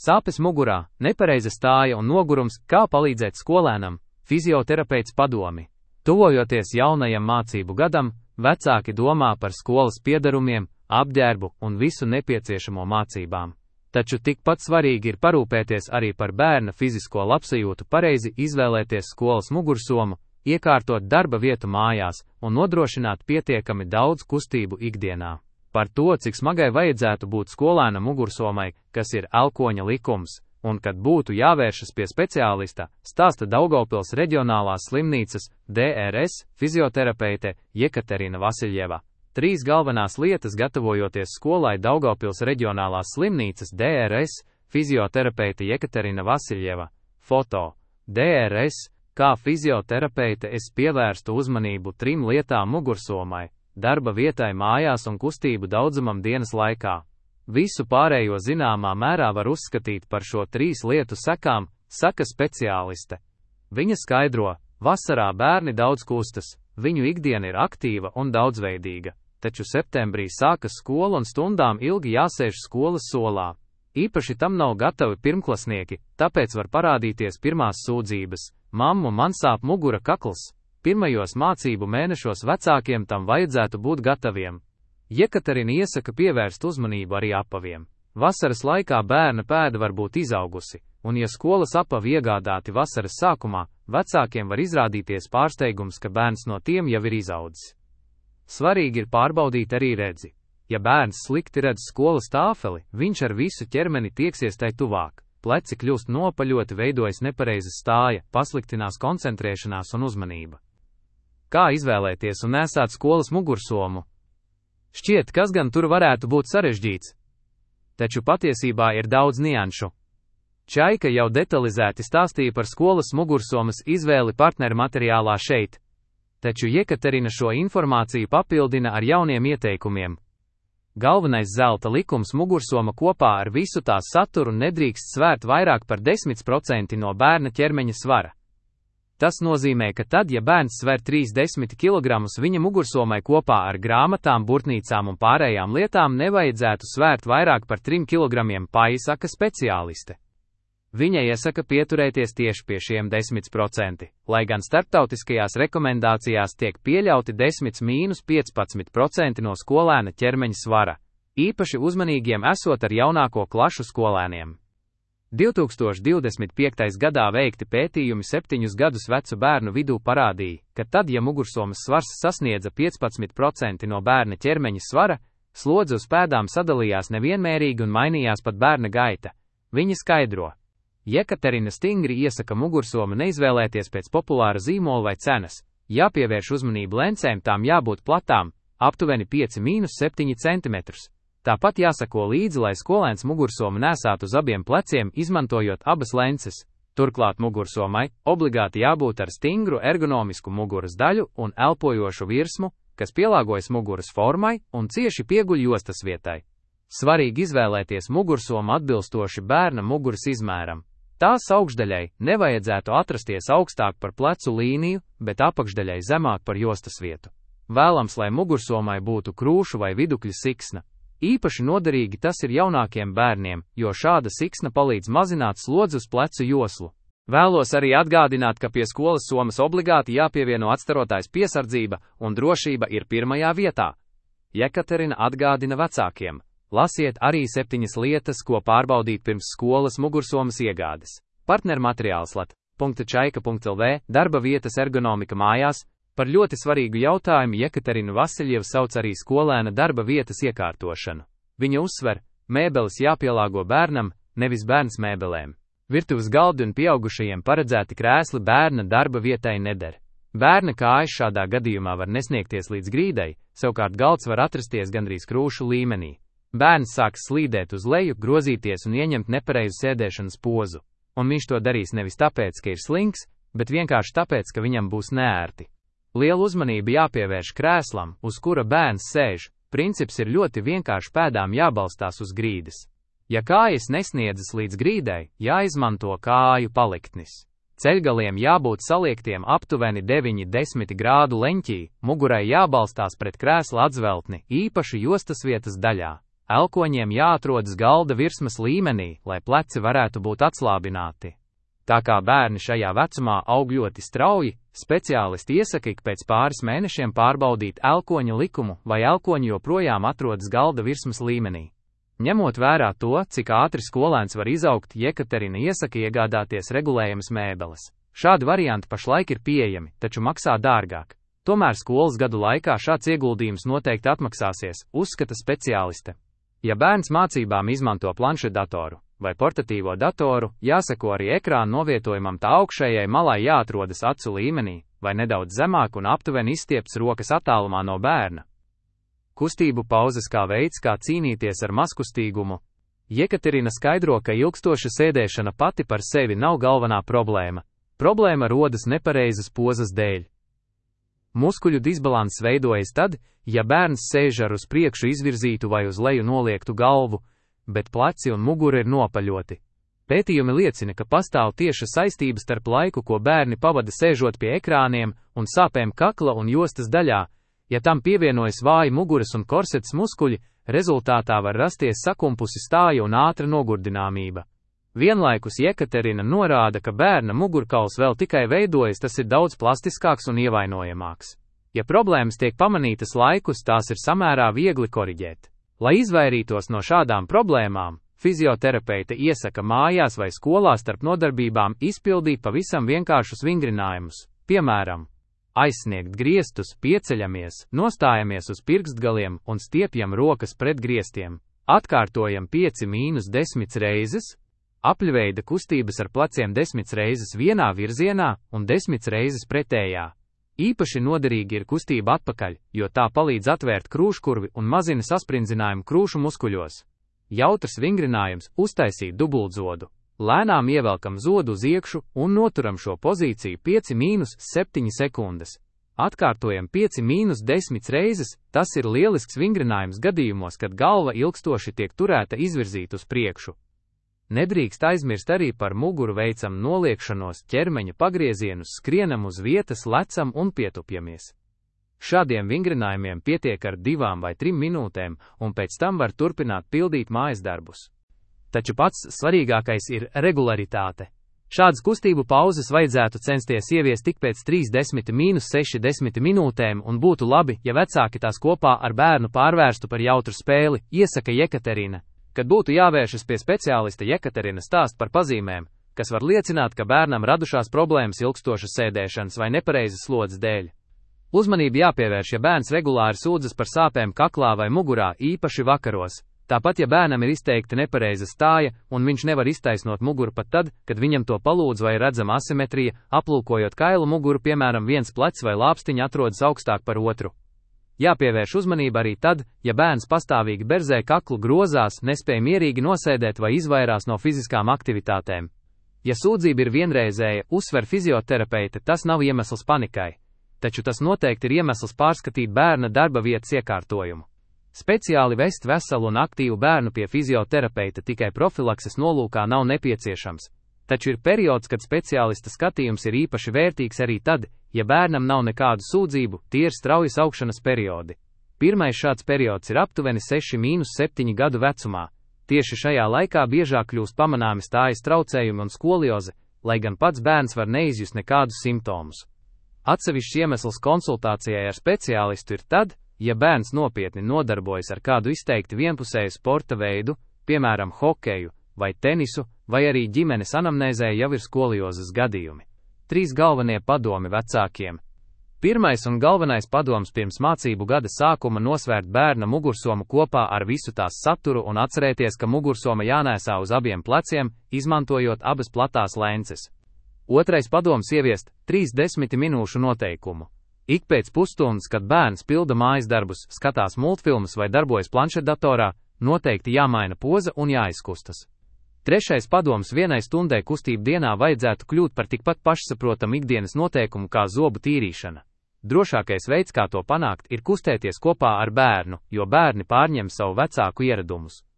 Sāpes mugurā, nepareiza stāja un nogurums, kā palīdzēt skolēnam, fizioterapeits padomi. Tuvojoties jaunajam mācību gadam, vecāki domā par skolas piederumiem, apģērbu un visu nepieciešamo mācībām. Taču tikpat svarīgi ir parūpēties arī par bērna fizisko labsajūtu, pareizi izvēlēties skolas mugursomu, iekārtot darba vietu mājās un nodrošināt pietiekami daudz kustību ikdienā. Par to, cik smagai vajadzētu būt skolēna mugursomai, kas ir elkoņa likums, un kad būtu jāvēršas pie speciālista, stāsta Daugavpils reģionālās slimnīcas DRS fizioterapeite Jekaterina Vasiljeva. 3 galvenās lietas gatavojoties skolai Daugavpils reģionālās slimnīcas DRS fizioterapeite Jekaterina Vasiljeva. Foto. DRS, kā fizioterapeite es pievērstu uzmanību 3 lietām mugursomai, darba vietai mājās un kustību daudzumam dienas laikā. Visu pārējo zināmā mērā var uzskatīt par šo 3 lietu sekām, saka speciāliste. Viņa skaidro, vasarā bērni daudz kustas, viņu ikdiena ir aktīva un daudzveidīga, taču septembrī sākas skola un stundām ilgi jāsēž skolas solā. Īpaši tam nav gatavi pirmklasnieki, tāpēc var parādīties pirmās sūdzības: mammu, man sāp mugura, kakls. Pirmajos mācību mēnešos vecākiem tam vajadzētu būt gataviem. Jekaterina iesaka pievērst uzmanību arī apaviem. Vasaras laikā bērna pēda var būt izaugusi, un ja skolas apavi iegādāti vasaras sākumā, vecākiem var izrādīties pārsteigums, ka bērns no tiem jau ir izaudzis. Svarīgi ir pārbaudīt arī redzi. Ja bērns slikti redz skolas tāfeli, viņš ar visu ķermeni tieksies tai tuvāk. Pleci kļūst nopaļoti, veidojas nepareiza stāja, pasliktinās koncentrēšanās un uzmanība. Kā izvēlēties un nesāt skolas mugursomu? Šķiet, kas gan tur varētu būt sarežģīts. Taču patiesībā ir daudz nianšu. Čaika jau detalizēti stāstīja par skolas mugursomas izvēli partneru materiālā šeit. Taču Jekaterina šo informāciju papildina ar jauniem ieteikumiem. Galvenais zelta likums: mugursoma kopā ar visu tās saturu nedrīkst svērt vairāk par 10% no bērna ķermeņa svara. Tas nozīmē, ka tad, ja bērns sver 30 kg, viņa mugursomai kopā ar grāmatām, burtnīcām un pārējām lietām nevajadzētu svērt vairāk par 3 kg, saka speciāliste. Viņa iesaka pieturēties tieši pie šiem 10%, lai gan starptautiskajās rekomendācijās tiek pieļauti 10–15% no skolēna ķermeņa svara, īpaši uzmanīgiem esot ar jaunāko klašu skolēniem. 2025. gadā veikti pētījumi 7 gadus vecu bērnu vidū parādīja, ka tad, ja mugursomas svars sasniedza 15% no bērna ķermeņa svara, slodze uz pēdām sadalījās nevienmērīgi un mainījās pat bērna gaita. Viņa skaidro. Jekaterina stingri iesaka mugursomu neizvēlēties pēc populāra zīmola vai cenas, jāpievērš uzmanību lencēm, tām jābūt platām, aptuveni 5–7 cm. Tāpat jāsako līdzi, lai skolēns mugursomu nesātu uz abiem pleciem, izmantojot abas lences. Turklāt mugursomai obligāti jābūt ar stingru ergonomisku muguras daļu un elpojošu virsmu, kas pielāgojas muguras formai un cieši pieguļ jostas vietai. Svarīgi izvēlēties mugursomu atbilstoši bērna muguras izmēram. Tās augšdaļai nevajadzētu atrasties augstāk par plecu līniju, bet apakšdaļai zemāk par jostas vietu. Vēlams, lai mugursomai būtu krūšu vai vidukļa siksna. Īpaši noderīgi tas ir jaunākiem bērniem, jo šāda siksna palīdz mazināt slodzi uz plecu joslu. Vēlos arī atgādināt, ka pie skolas somas obligāti jāpievieno atstarotais piesardzība un drošība ir pirmajā vietā. Jekaterina atgādina vecākiem. Lasiet arī 7 lietas, ko pārbaudīt pirms skolas mugursomas iegādes. Partnermateriāls lat.čaika.lv, darba vietas ergonomika mājās. Par ļoti svarīgu jautājumu Jekaterina Vasiljeva sauc arī skolēna darba vietas iekārtošanu. Viņa uzsver, mēbeles jāpielāgo bērnam, nevis bērns mēbelēm. Virtuves galdi un pieaugušajiem paredzēti krēsli bērna darba vietai neder. Bērna kājas šādā gadījumā var nesniegties līdz grīdai, savukārt galds var atrasties gandrīz krūšu līmenī. Bērns sāks slīdēt uz leju, grozīties un ieņemt nepareizu sēdēšanas pozu. Un viņš to darīs nevis tāpēc, ka ir slinks, bet vienkārši tāpēc, ka viņam būs neērti. Liela uzmanība jāpievērš krēslam, uz kura bērns sēž. Princips ir ļoti vienkārši, pēdām jābalstās uz grīdas. Ja kājas nesniedzas līdz grīdai, jāizmanto kāju paliktnis. Ceļgaliem jābūt saliektiem aptuveni 9–10 grādu leņķī, mugurai jābalstās pret krēsla atzveltni, īpaši jostas vietas daļā. Elkoņiem jāatrodas galda virsmas līmenī, lai pleci varētu būt atslābināti. Tā kā bērni šajā vecumā aug ļoti strauji, speciālisti iesaka ik pēc pāris mēnešiem pārbaudīt elkoņa likumu, vai elkoņi joprojām atrodas galda virsmas līmenī. Ņemot vērā to, cik ātri skolēns var izaugt, Jekaterina iesaka iegādāties regulējamas mēbeles. Šādi varianti pašlaik ir pieejami, taču maksā dārgāk. Tomēr skolas gadu laikā šāds ieguldījums noteikti atmaksāsies, uzskata speciāliste. Ja bērns mācībām izmanto planšetdatoru vai portatīvo datoru, jāseko arī ekrāna novietojumam, tā augšējai malai jāatrodas acu līmenī, vai nedaudz zemāk un aptuveni izstiepts rokas attālumā no bērna. Kustību pauzes kā veids, kā cīnīties ar mazkustīgumu. Jekaterina skaidro, ka ilgstoša sēdēšana pati par sevi nav galvenā problēma. Problēma rodas nepareizas pozas dēļ. Muskuļu disbalanss veidojas tad, ja bērns sēž ar uz priekšu izvirzītu vai uz leju noliektu galvu, bet pleci un mugura ir nopaļoti. Pētījumi liecina, ka pastāv tieša saistība starp laiku, ko bērni pavada sēžot pie ekrāniem, un sāpēm kakla un jostas daļā. Ja tam pievienojas vāji muguras un korsetes muskuļi, rezultātā var rasties sakumpusi stāja un ātra nogurdināmība. Vienlaikus Jekaterina norāda, ka bērna mugurkauls vēl tikai veidojas, tas ir daudz plastiskāks un ievainojamāks. Ja problēmas tiek pamanītas laikus, tās ir samērā viegli koriģēt. Lai izvairītos no šādām problēmām, fizioterapeite iesaka mājās vai skolā starp nodarbībām izpildīt pavisam vienkāršus vingrinājumus, piemēram, aizsniegt griestus, pieceļamies, nostājamies uz pirkstgaliem un stiepjam rokas pret griestiem, atkārtojam 5–10 reizes, apļveida kustības ar pleciem 10 reizes vienā virzienā un 10 reizes pretējā. Īpaši noderīgi ir kustība atpakaļ, jo tā palīdz atvērt krūškurvi un mazina sasprindzinājumu krūšu muskuļos. Jautrs vingrinājums – uztaisīt dubultzodu. Lēnām ievelkam zodu uz iekšu un noturam šo pozīciju 5–7 sekundes. Atkārtojam 5–10 reizes, tas ir lielisks vingrinājums gadījumos, kad galva ilgstoši tiek turēta izvirzīt uz priekšu. Nedrīkst aizmirst arī par muguru, veicam noliekšanos, ķermeņa pagriezienus, skrienam uz vietas, lecam un pietupjamies. Šādiem vingrinājumiem pietiek ar 2 vai 3 minūtēm, un pēc tam var turpināt pildīt mājas darbus. Taču pats svarīgākais ir regularitāte. Šādas kustību pauzes vajadzētu censties ieviest tik pēc 30–60 minūtēm, un būtu labi, ja vecāki tās kopā ar bērnu pārvērstu par jautru spēli, iesaka Jekaterina. Kad būtu jāvēršas pie speciālista, Jekaterina stāst par pazīmēm, kas var liecināt, ka bērnam radušās problēmas ilgstošas sēdēšanas vai nepareizas slodzes dēļ. Uzmanību jāpievērš, ja bērns regulāri sūdzas par sāpēm kaklā vai mugurā, īpaši vakaros. Tāpat, ja bērnam ir izteikti nepareiza stāja, un viņš nevar iztaisnot muguru pat tad, kad viņam to palūdz, vai redzama asimetrija, aplūkojot kailu muguru, piemēram, viens plecs vai lāpstiņa atrodas augstāk par otru. Jāpievērš uzmanība arī tad, ja bērns pastāvīgi berzē kaklu, grozās, nespēj mierīgi nosēdēt vai izvairās no fiziskām aktivitātēm. Ja sūdzība ir vienreizēja, uzsver fizioterapeite, tas nav iemesls panikai, taču tas noteikti ir iemesls pārskatīt bērna darba vietas iekārtojumu. Speciāli vest veselu un aktīvu bērnu pie fizioterapeita tikai profilakses nolūkā nav nepieciešams, taču ir periods, kad speciālista skatījums ir īpaši vērtīgs arī tad, ja bērnam nav nekādu sūdzību, tie ir straujas augšanas periodi. Pirmais šāds periods ir aptuveni 6–7 gadu vecumā. Tieši šajā laikā biežāk kļūst pamanāmi stājas traucējumi un skolioze, lai gan pats bērns var neizjust nekādus simptomus. Atsevišķs iemesls konsultācijai ar speciālistu ir tad, ja bērns nopietni nodarbojas ar kādu izteikti vienpusēju sporta veidu, piemēram, hokeju vai tenisu, vai arī ģimenes anamnēzē jau ir skoliozes gadījumi. 3 galvenie padomi vecākiem. Pirmais un galvenais padoms pirms mācību gada sākuma – nosvērt bērna mugursomu kopā ar visu tās saturu un atcerēties, ka mugursoma jānēsā uz abiem pleciem, izmantojot abas platās lences. Otrais padoms – ieviest 30 minūšu noteikumu. Ik pēc pusstundas, kad bērns pilda mājas darbus, skatās multfilmas vai darbojas planšetdatorā, noteikti jāmaina poza un jāizkustas. Trešais padoms – 1 stundai kustību dienā vajadzētu kļūt par tikpat pašsaprotamu ikdienas noteikumu kā zobu tīrīšana. Drošākais veids, kā to panākt, ir kustēties kopā ar bērnu, jo bērni pārņem savu vecāku ieradumus.